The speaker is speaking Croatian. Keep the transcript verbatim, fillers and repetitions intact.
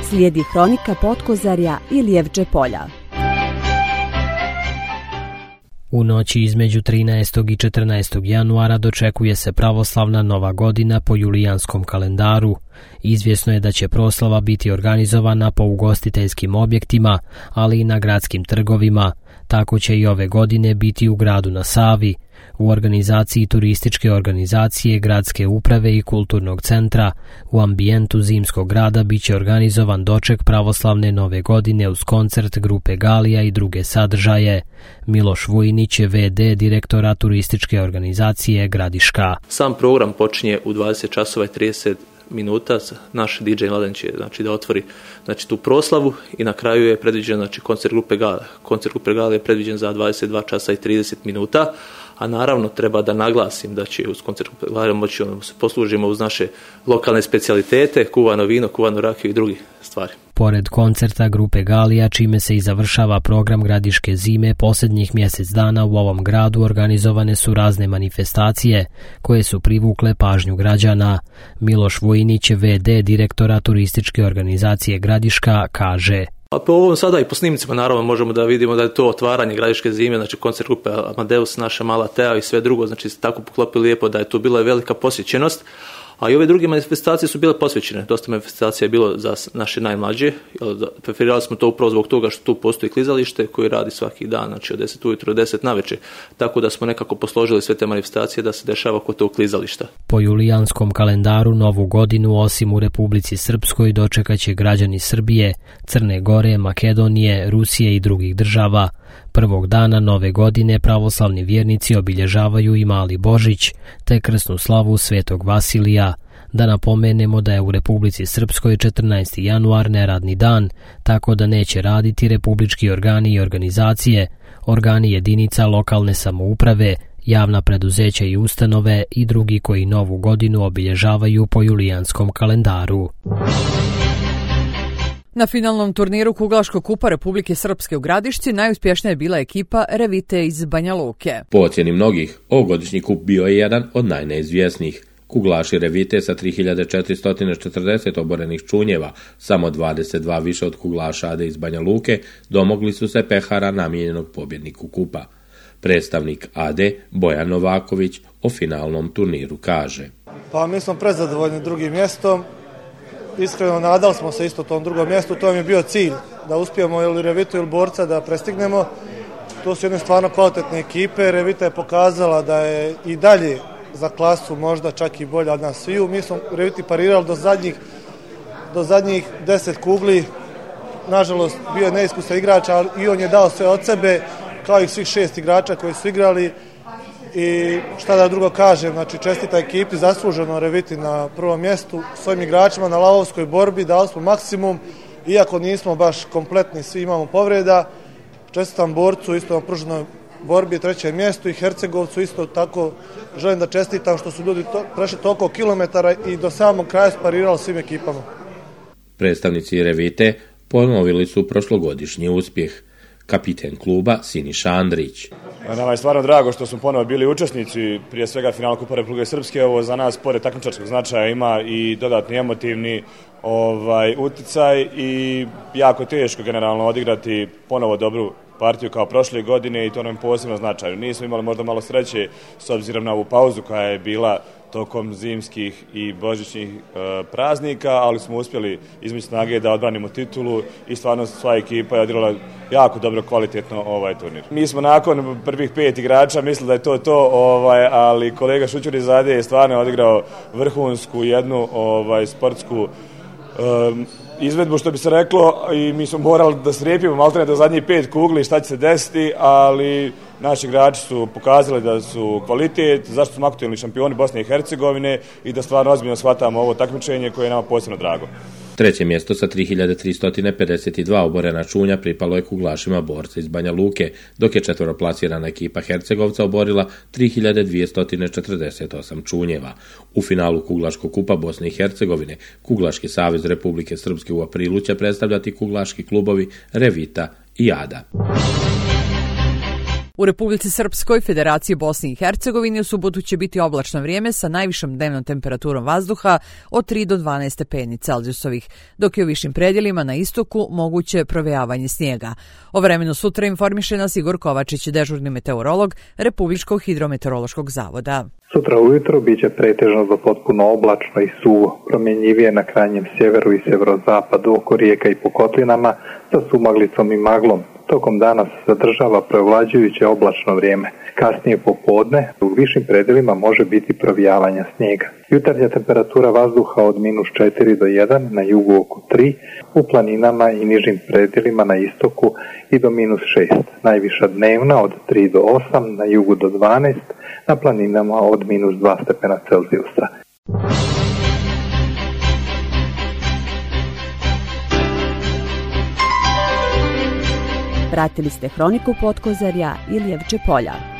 Slijedi hronika Potkozarja i Lijevče polja. U noći između trinaestog i četrnaestog januara dočekuje se pravoslavna Nova godina po julijanskom kalendaru. Izvjesno je da će proslava biti organizovana po ugostiteljskim objektima, ali i na gradskim trgovima. Tako će i ove godine biti u gradu na Savi. U organizaciji turističke organizacije, gradske uprave i kulturnog centra u ambijentu zimskog grada biće organizovan doček pravoslavne Nove godine uz koncert grupe Galija i druge sadržaje. Miloš Vujinić je ve de direktora turističke organizacije Gradiška. Sam program počinje u dvadeset časova i trideset minuta. Naš di džej Mladen će znači, da otvori znači, tu proslavu i na kraju je predviđen znači, koncert grupe Galija. Koncert grupe Galija je predviđen za dvadeset dva časa i trideset minuta. A naravno treba da naglasim da će uz koncert Galija moći ono, se poslužimo uz naše lokalne specijalitete, kuvano vino, kuvano rakiju i drugi stvari. Pored koncerta grupe Galija, čime se i završava program gradiške zime, posljednjih mjesec dana u ovom gradu organizovane su razne manifestacije koje su privukle pažnju građana. Miloš Vujinić, ve de direktora turističke organizacije Gradiška, kaže: A po ovom sada i po snimcima naravno možemo da vidimo da je to otvaranje gradiške zime, znači koncert grupe Amadeus, naša mala Tea i sve drugo, znači tako poklopili lijepo da je tu bila velika posjećenost. A i ove druge manifestacije su bile posvećene. Dosta manifestacija je bilo za naše najmlađe. Preferirali smo to upravo zbog toga što tu postoji klizalište koji radi svaki dan, znači od deset ujutro do deset navečer. Tako da smo nekako posložili sve te manifestacije da se dešava kod tog klizališta. Po julijanskom kalendaru Novu godinu osim u Republici Srpskoj dočekaće građani Srbije, Crne Gore, Makedonije, Rusije i drugih država. Prvog dana Nove godine pravoslavni vjernici obilježavaju i Mali Božić, te krsnu slavu Svetog Vasilija. Da napomenemo da je u Republici Srpskoj četrnaesti januar neradni dan, tako da neće raditi republički organi i organizacije, organi jedinica lokalne samouprave, javna preduzeća i ustanove i drugi koji Novu godinu obilježavaju po julijanskom kalendaru. Na finalnom turniru Kuglaškog kupa Republike Srpske u Gradišci najuspješnija je bila ekipa Revite iz Banja Luke. Po ocjeni mnogih, ovogodišnji kup bio je jedan od najneizvjesnijih. Kuglaši Revite sa tri hiljade četiristo četrdeset oborenih čunjeva, samo dvadeset dva više od kuglaša Ade iz Banja Luke, domogli su se pehara namijenjenog pobjedniku kupa. Predstavnik Ade, Bojan Novaković, o finalnom turniru kaže: Pa mi smo prezadovoljni drugim mjestom. Iskreno nadali smo se isto tom drugom mjestu, to nam je bio cilj, da uspijemo ili Revitu ili Borca da prestignemo. To su jedne stvarno kvalitetne ekipe, Revita je pokazala da je i dalje za klasu možda čak i bolja od nas sviju. Mi smo Reviti parirali do zadnjih, do zadnjih deset kugli, nažalost bio je neiskusan igrač, ali i on je dao sve od sebe, kao i svih šest igrača koji su igrali. I šta da drugo kažem, znači čestita ekipi, zasluženo Reviti na prvom mjestu, s ovim igračima na lavovskoj borbi dali smo maksimum, iako nismo baš kompletni, svi imamo povreda. Čestitam Borcu isto na pruženoj borbi, trećem mjestu, i Hercegovcu isto tako želim da čestitam što su ljudi to, prešli toliko kilometara i do samog kraja sparirali svim ekipama. Predstavnici Revite ponovili su prošlogodišnji uspjeh. Kapiten kluba Siniša Andrić. Nama je stvarno drago što smo ponovo bili učesnici, prije svega finala Kupa Republike Srpske. Ovo za nas, pored takmičarskog značaja, ima i dodatni emotivni ovaj, uticaj i jako teško generalno odigrati ponovo dobru partiju kao prošle godine i to nam je posebno značajno. Nismo imali možda malo sreće s obzirom na ovu pauzu koja je bila tokom zimskih i božićnih e, praznika, ali smo uspjeli između snage da odbranimo titulu i stvarno sva ekipa je odigrala jako dobro, kvalitetno ovaj turnir. Mi smo nakon prvih pet igrača mislili da je to to, ovaj, ali kolega Šućur iz Ade je stvarno odigrao vrhunsku jednu ovaj, sportsku e, izvedbu, što bi se reklo, i mi smo morali da strepimo maltene do zadnjih pet kugli šta će se desiti, ali naši igrači su pokazali da su kvalitet, zašto smo aktualni šampioni Bosne i Hercegovine i da stvarno ozbiljno shvatamo ovo takmičenje koje je nama posebno drago. Treće mjesto sa tri hiljade tristo pedeset dva oborena čunja pripalo je kuglašima Borca iz Banja Luke, dok je četveroplasirana ekipa Hercegovca oborila tri hiljade dvjesto četrdeset osam čunjeva. U finalu Kuglaškog kupa Bosne i Hercegovine Kuglaški savez Republike Srpske u aprilu će predstavljati kuglaški klubovi Revita i Ada. U Republici Srpskoj, Federaciji Bosne i Hercegovine u subotu će biti oblačno vrijeme sa najvišom dnevnom temperaturom vazduha od tri do dvanaest stepeni Celzijusovih, dok je u višim predjelima na istoku moguće provejavanje snijega. O vremenu sutra informiše nas Igor Kovačić, dežurni meteorolog Republičkog hidrometeorološkog zavoda. Sutra ujutro biće pretežno do potpuno oblačno i suvo, promjenjivije na krajnjem sjeveru i sjeverozapadu oko rijeka i po kotlinama sa sumaglicom i maglom. Tokom dana se zadržava prevlađujuće oblačno vrijeme. Kasnije popodne u višim predjelima može biti provijavanja snijega. Jutarnja temperatura vazduha od minus četiri do jedan, na jugu oko tri, u planinama i nižim predjelima na istoku i do minus šest. Najviša dnevna od tri do osam, na jugu do dvanaest, na planinama od minus dva stepena Celzijusa. Pratili ste Hroniku Potkozarja Ilijevče polja.